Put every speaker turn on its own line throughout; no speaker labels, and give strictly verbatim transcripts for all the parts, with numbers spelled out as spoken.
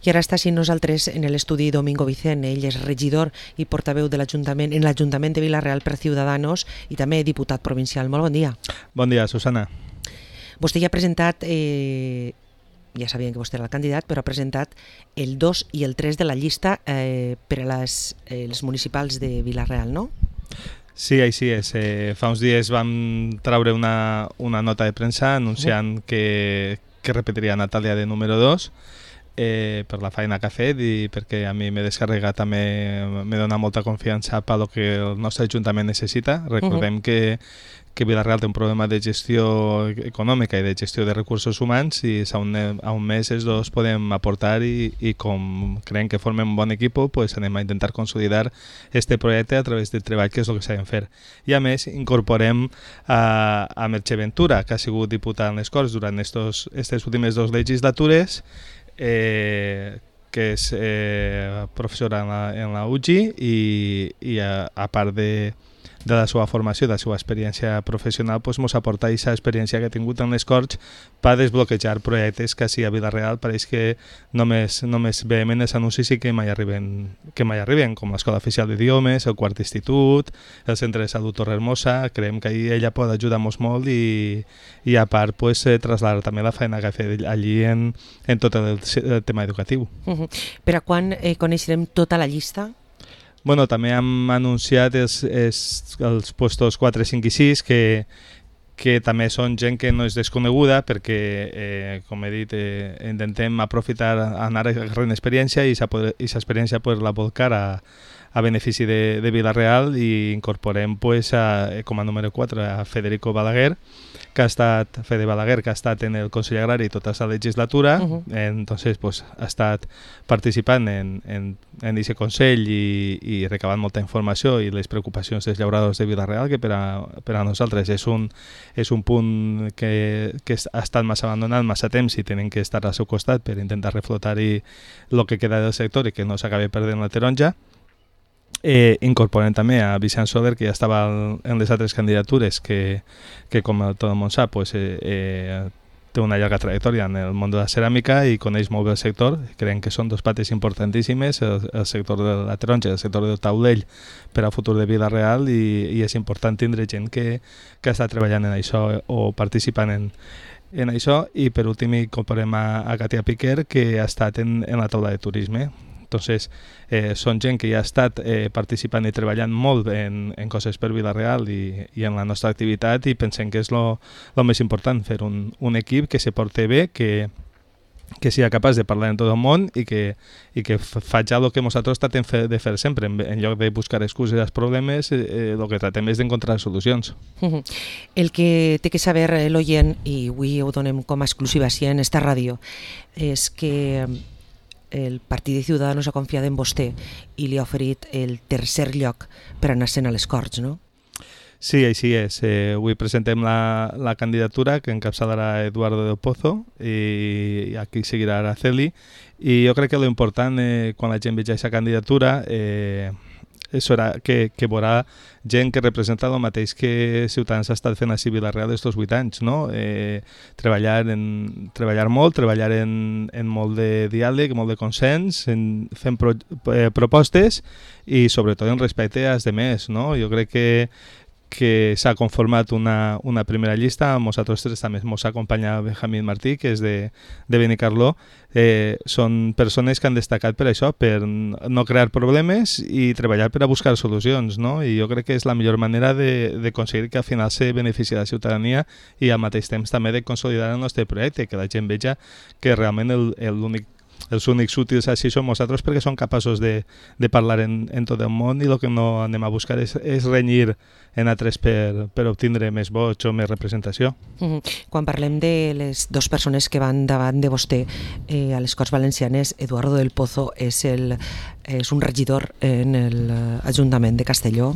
I ara està així nosaltres en l'estudi Domingo Vicent. Ell és regidor i portaveu de l'Ajuntament en l'Ajuntament de Vila-real per Ciudadanos i també diputat provincial. Molt bon dia.
Bon dia, Susana.
Vostè ja ha presentat, eh, ja sabien que vostè era el candidat, però ha presentat el dos i el tres de la llista eh, per a les, eh, les municipals de Vila-real, no?
Sí, així és. Eh, fa uns dies vam treure una, una nota de premsa anunciant uh-huh. que, que repetiria Natàlia de número dos eh, per la feina que ha fet i perquè a mi m'he descarregat també, me dona molta confiança per lo que el nostre Ajuntament necessita. Recordem uh-huh. que que Vila-real té un problema de gestió econòmica i de gestió de recursos humans i a un, a un mes els dos podem aportar i, i com creiem que formem un bon equip, pues anem a intentar consolidar este projecte a través del treball que és el que sabem fer. I a més incorporem a, a Merche Ventura, que ha sigut diputat en les Corts durant aquestes últimes dues legislatures, eh, que és eh, professora en la, en la U G I i, i a, a part de de la seva formació, de la seva experiència professional, doncs ens aporta aquesta experiència que ha tingut en les Corts per desbloquejar projectes que així a Vila-real pareix que només, només veiem els anuncis i que mai arriben, que mai arriben, com l'Escola Oficial d'Idiomes, el Quart Institut, el Centre de Salut Torrehermosa. Creiem que ahí ella pot ajudar-nos molt i, i a part pues, eh, traslladar també la feina que ha fet allí en, en tot el, el tema educatiu.
Uh-huh. Per a quan eh, coneixerem tota la llista?
Bueno, també hem anunciat els, els, els puestos quatre, cinc i sis que, que també són gent que no és desconeguda perquè, eh, com he dit, eh, intentem aprofitar, anar agarrant experiència i aquesta experiència pues, la volcar a, a benefici de, de Vila-real i incorporem pues, a, com a número quatre a Federico Balaguer, que ha estat, Fede Balaguer, que ha estat en el Consell Agrari tota la legislatura, uh-huh. entonces pues, ha estat participant en, en, en aquest Consell i, i recabant molta informació i les preocupacions dels llauradors de Vila-real, que per a, per a nosaltres és un, és un punt que, que ha estat massa abandonat massa temps i tenen que estar al seu costat per intentar reflotar-hi el que queda del sector i que no s'acabi perdent la taronja. Eh, incorporem també a Vicent Soler, que ja estava en les altres candidatures, que, que com tot el món sap, pues, eh, eh, té una llarga trajectòria en el món de la ceràmica i coneix molt bé el sector. Creiem que són dos pates importantíssimes, el, el sector de la taronja i el sector del taulell per al futur de Vila-real i, i és important tindre gent que, que està treballant en això o participant en, en això. I per últim incorporem a, a Katia Piquer, que ha estat en, en la taula de turisme. Entonces, eh, són gent que ja ha estat eh, participant i treballant molt en, en coses per Vila-real i, i en la nostra activitat i pensem que és lo, lo més important, fer un, un equip que se porti bé, que, que sigui capaç de parlar en tot el món i que, i que faci el que nosaltres tratem de fer sempre. En, en lloc de buscar excuses als problemes, eh, el que tratem és d'encontrar solucions.
Uh-huh. El que té que saber l'oient, i avui ho donem com a exclusiva així en esta ràdio, és que el Partit de Ciudadanos ha confiat en vostè i li ha oferit el tercer lloc per anar-se'n a les Corts, no?
Sí, així és. Eh, avui presentem la, la candidatura que encapçalarà Eduardo del Pozo i aquí seguirà Araceli i jo crec que l'important eh, quan la gent vegi aquesta candidatura eh, serà que, que veurà gent que representa el mateix que Ciutadans ha estat fent a Vila-real estos vuit anys, no? Eh, treballar, en, treballar molt, treballar en, en molt de diàleg, molt de consens, en, fent pro, eh, propostes i sobretot en respecte als demés, no? Jo crec que que s'ha conformat una, una primera llista, amb nosaltres tres també ens acompanya Benjamín Martí, que és de, de Benicarló. Eh, són persones que han destacat per això, per no crear problemes i treballar per a buscar solucions, no? I jo crec que és la millor manera de, de aconseguir que al final se benefici la ciutadania i al mateix temps també de consolidar el nostre projecte, que la gent veja que realment el, l'únic els únics útils així som nosaltres perquè som capaços de, de parlar en, en tot el món i el que no anem a buscar és, és renyir en altres per, per obtindre més vots o més representació.
Mm-hmm. Quan parlem de les dues persones que van davant de vostè eh, a les Corts Valencianes, Eduardo del Pozo és, el, és un regidor en l'Ajuntament de Castelló.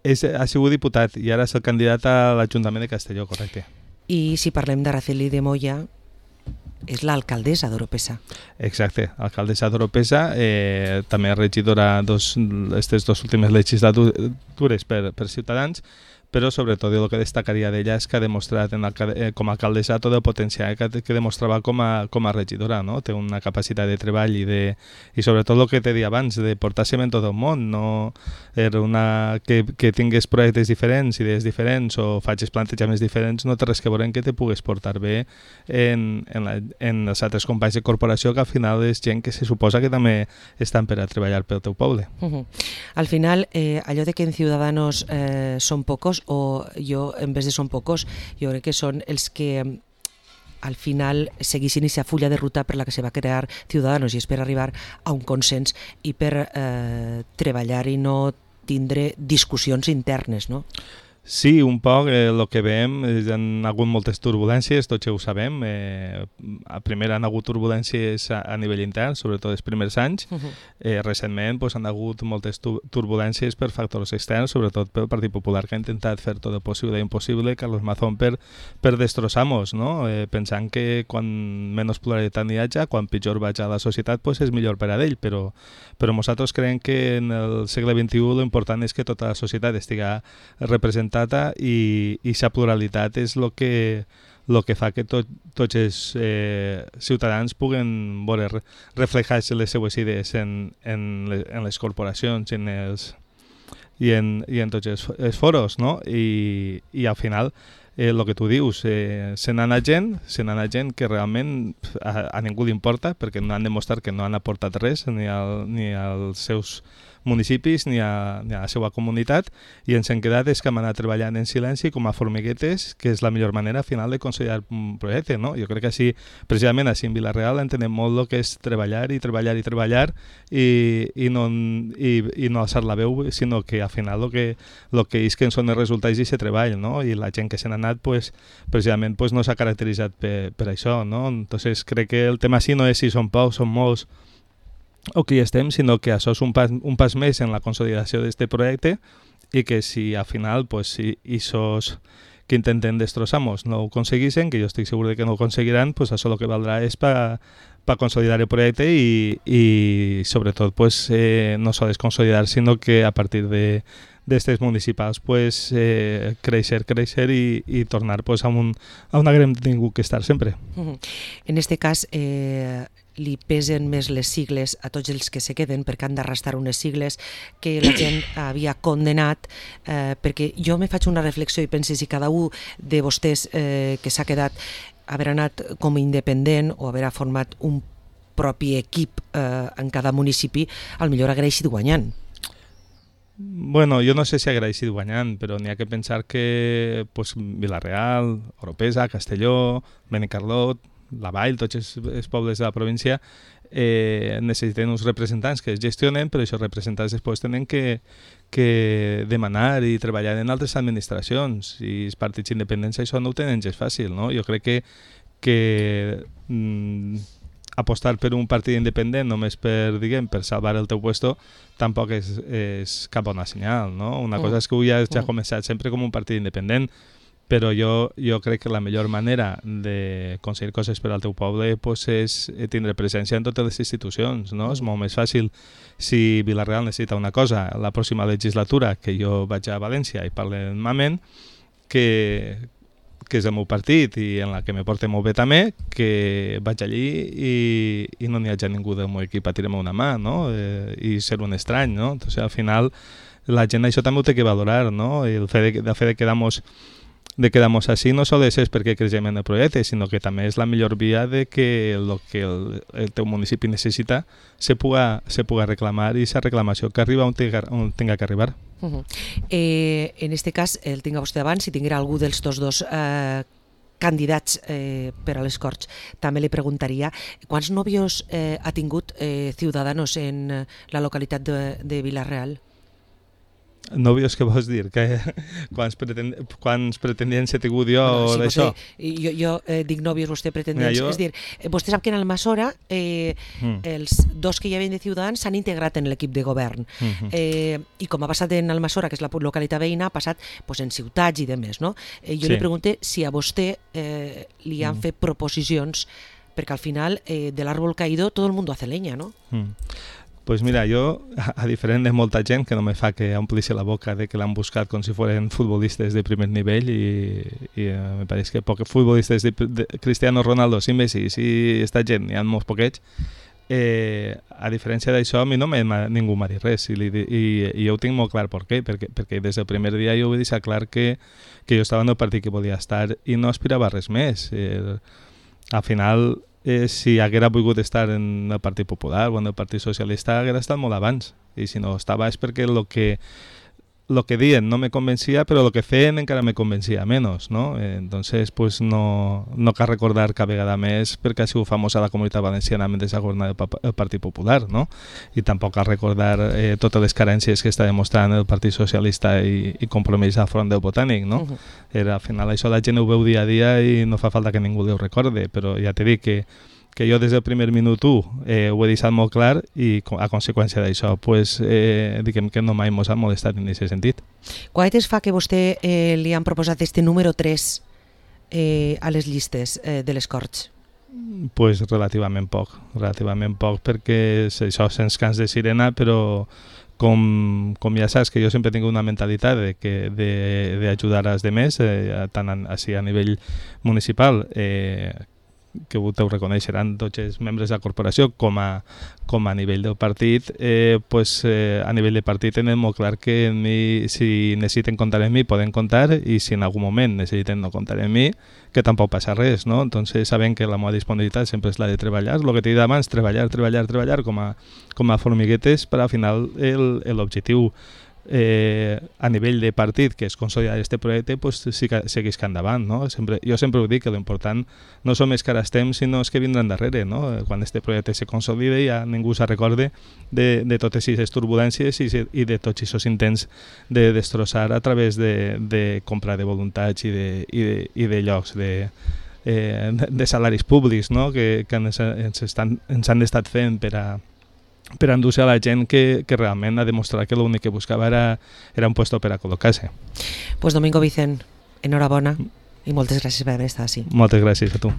És, ha sigut diputat i ara és el candidat a l'Ajuntament de Castelló, correcte.
I si parlem d'Araceli de Moya, és l'alcaldessa d'Oropesa.
Exacte, alcaldessa d'Oropesa, eh, també regidora dos, aquestes dues últimes legislatures per, per Ciutadans, però sobretot el que destacaria d'ella és que ha demostrat en el, com a alcaldessa tot el potencial que, que demostrava com a, com a regidora, no? Té una capacitat de treball i, de, i sobretot el que t'he dit abans, de portar-se en tot el món, no era una, que, que tingués projectes diferents, idees diferents o facis plantejaments diferents, no té res que veure en que te pugues portar bé en, en, la, en els altres companys de corporació, que al final és gent que se suposa que també estan per a treballar pel teu poble.
Uh-huh. Al final, eh, allò de que en Ciudadanos eh, són pocos, o jo, en vez de són pocos, jo crec que són els que al final seguissin aquesta fulla de ruta per la que se va crear Ciudadanos, i és per arribar a un consens i per eh, treballar i no tindre discussions internes, no?
Sí, un poc el eh, que veiem, hi ha hagut moltes turbulències, tots ja ho sabem. Eh, primer han hagut turbulències a, a nivell intern, sobretot els primers anys. Uh-huh. eh, recentment pues, han hagut moltes tu turbulències per factors externs, sobretot pel Partit Popular, que ha intentat fer tot el possible i impossible, Carlos Mazón, per, per destrossar-nos, no? eh, pensant que quan menys pluralitat n'hi hagi, quan pitjor vaig a la societat, pues, és millor per a ell, però, però nosaltres creiem que en el segle vint-i-u l'important és que tota la societat estigui representada i aquesta pluralitat és el que, lo que fa que tot, tots els eh, ciutadans puguen veure reflejar-se les seues idees en, en, les, en les corporacions en els, i, en, i en tots els, els foros, no? I, i al final el eh, que tu dius, eh, se n'ha anat gent, se n'ha anat gent que realment a, a ningú li importa, perquè no han demostrat que no han aportat res ni, al, ni als seus municipis ni a, ni a la seva comunitat, i ens hem quedat és que hem anat treballant en silenci com a formiguetes, que és la millor manera al final de consolidar un projecte, no? Jo crec que així, precisament així en Vila-real entenem molt el que és treballar i treballar i treballar i, i, no, i, i no alçar la veu, sinó que al final el que, lo que és que són els resultats d'aquest treball, no? I la gent que se n'ha anat pues, precisament pues, no s'ha caracteritzat per, per això, no? Entonces crec que el tema sí no és si són pocs, són molts o que hi estem, sinó que això és un pas, un pas més en la consolidació d'aquest projecte, i que si al final pues, si esos que intenten destrossar-nos no ho aconseguissin, que jo estic segur de que no ho aconseguiran, pues això el que valdrà és per pa consolidar el projecte i, i sobretot pues, eh, no sols consolidar, sinó que a partir de d'estes municipals pues, eh, créixer, créixer i, i tornar pues, a, un, a una gran ningú que estar sempre.
Uh-huh. En este cas, eh, li pesen més les sigles a tots els que se queden, perquè han d'arrastrar unes sigles que la gent havia condemnat, eh, perquè jo me faig una reflexió i penso si cada un de vostès eh, que s'ha quedat haver anat com independent o haver format un propi equip eh, en cada municipi, al millor hagués ido guanyant.
Bueno, jo no sé si hagués ido guanyant, però n'hi ha que pensar que pues, Vila-real, Oropesa, Castelló, Benicarlot, la Vall, tots els, els pobles de la província eh, necessiten uns representants que es gestionen, però aquests representants després tenen que, que demanar i treballar en altres administracions, i els partits independents això no ho tenen gens fàcil, no? Jo crec que, que mm, apostar per un partit independent només per, diguem, per salvar el teu puesto tampoc és, és cap bona senyal, no? Una mm. cosa és que avui ja, ja ha començat sempre com un partit independent, però jo, jo crec que la millor manera de aconseguir coses per al teu poble pues, és tindre presència en totes les institucions, no? Mm. És molt més fàcil si Vila-real necessita una cosa la pròxima legislatura, que jo vaig a València i parle amb Mamen, que, que és el meu partit i en la que me porta molt bé també, que vaig allí i, i no n'hi hagi ningú del meu equip a tirar-me una mà, no? Eh, i ser un estrany, no? Entonces, al final la gent això també ho té que valorar, no? I el fet de, de, fet de quedar-nos de quedar-nos així no sols és perquè creiem en el projecte, sinó que també és la millor via de que el que el, el teu municipi necessita se puga, se puga reclamar, i aquesta reclamació que arriba on tenga, on tenga que arribar.
Uh -huh. eh, en este cas, el tinga vostè davant, si tinguera algú dels tots dos eh, candidats eh, per a les Corts, també li preguntaria quants nòvios eh, ha tingut eh, Ciudadanos en la localitat de, de Vila-real?
Nòvios, què vols dir? Que, quants, pretend, quants pretendents he tingut jo
no,
sí, d'això?
Jo, jo eh, dic nòvios, vostè pretendents. Jo... És dir, vostè sap que en Almassora eh, mm. els dos que hi havien de Ciutadans s'han integrat en l'equip de govern. Mm-hmm. eh, I com ha passat en Almassora, que és la localitat veïna, ha passat pues, en ciutats i demés. No? Eh, jo sí. li pregunto si a vostè eh, li han mm. fet proposicions, perquè al final eh, de l'àrbol caído tot el mundo hace leña, no?
Mm. Pues mira, jo, a diferent de molta gent que no me fa que omplixi la boca de que l'han buscat com si foren futbolistes de primer nivell i, i uh, me pareix que pocs futbolistes de, de Cristiano Ronaldo, sí Messi, sí esta gent, n'hi ha molts poquets. Eh, a diferència d'això, a mi no me, ningú m'ha dit res i, i, i jo ho tinc molt clar per què, perquè, perquè des del primer dia jo vull deixar clar que, que jo estava en el partit que volia estar i no aspirava a res més. Eh, al final, eh, si haguera volgut estar en el Partit Popular o en el Partit Socialista haguera estat molt abans, i si no estava és perquè el que lo que diuen no me convencia, però el que feien encara me convencia menos, ¿no? Eh, entonces, pues no, no cal recordar cada vegada més perquè ha sigut famosa la Comunitat Valenciana mentre s'ha governat el, el Partit Popular, no? I tampoc cal recordar eh, totes les carències que està demostrant el Partit Socialista i, i Compromís al front del Botànic, no? Uh -huh. Era, al final això la gent ho veu dia a dia i no fa falta que ningú ho recorde, però ja t'he dit que que jo des del primer minut u eh, ho he deixat molt clar i a conseqüència d'això pues, eh, diguem que no mai mos ha molestat en aquest sentit.
Quant temps fa que vostè eh, li han proposat este número tres eh, a les llistes eh, de les Corts?
Pues relativament poc, relativament poc perquè això sents cants de sirena, però com, com ja saps que jo sempre he tingut una mentalitat de que d'ajudar als demés, eh, tant a, així a nivell municipal eh, que ho reconeixeran tots els membres de la corporació com a, com a nivell del partit, eh, pues, eh, a nivell de partit tenen molt clar que mi, si necessiten comptar en mi poden comptar i si en algun moment necessiten no comptar en mi que tampoc passa res, no? Entonces sabem que la meva disponibilitat sempre és la de treballar, el que t'he dit abans, treballar, treballar, treballar com a, com a formiguetes per al final l'objectiu Eh, a nivell de partit que es consolidar este projecte pues, sí que segueix que endavant, no? Sempre, jo sempre ho dic que l'important no som els que ara estem sinó els que vindran darrere, no? Quan este projecte se consolide ja ningú se recorde de, de totes aquestes turbulències i, i de tots aquests intents de destrossar a través de, de compra de voluntats i de, i de, i de llocs de, eh, de salaris públics, no? que, que ens, ens, estan, ens han estat fent per a per endur-se a la gent que, que realment ha demostrat que l'únic que buscava era, era un puesto per a col·locar-se.
Pues Domingo Vicent, enhorabona i moltes gràcies per haver estat així.
Moltes gràcies a tu.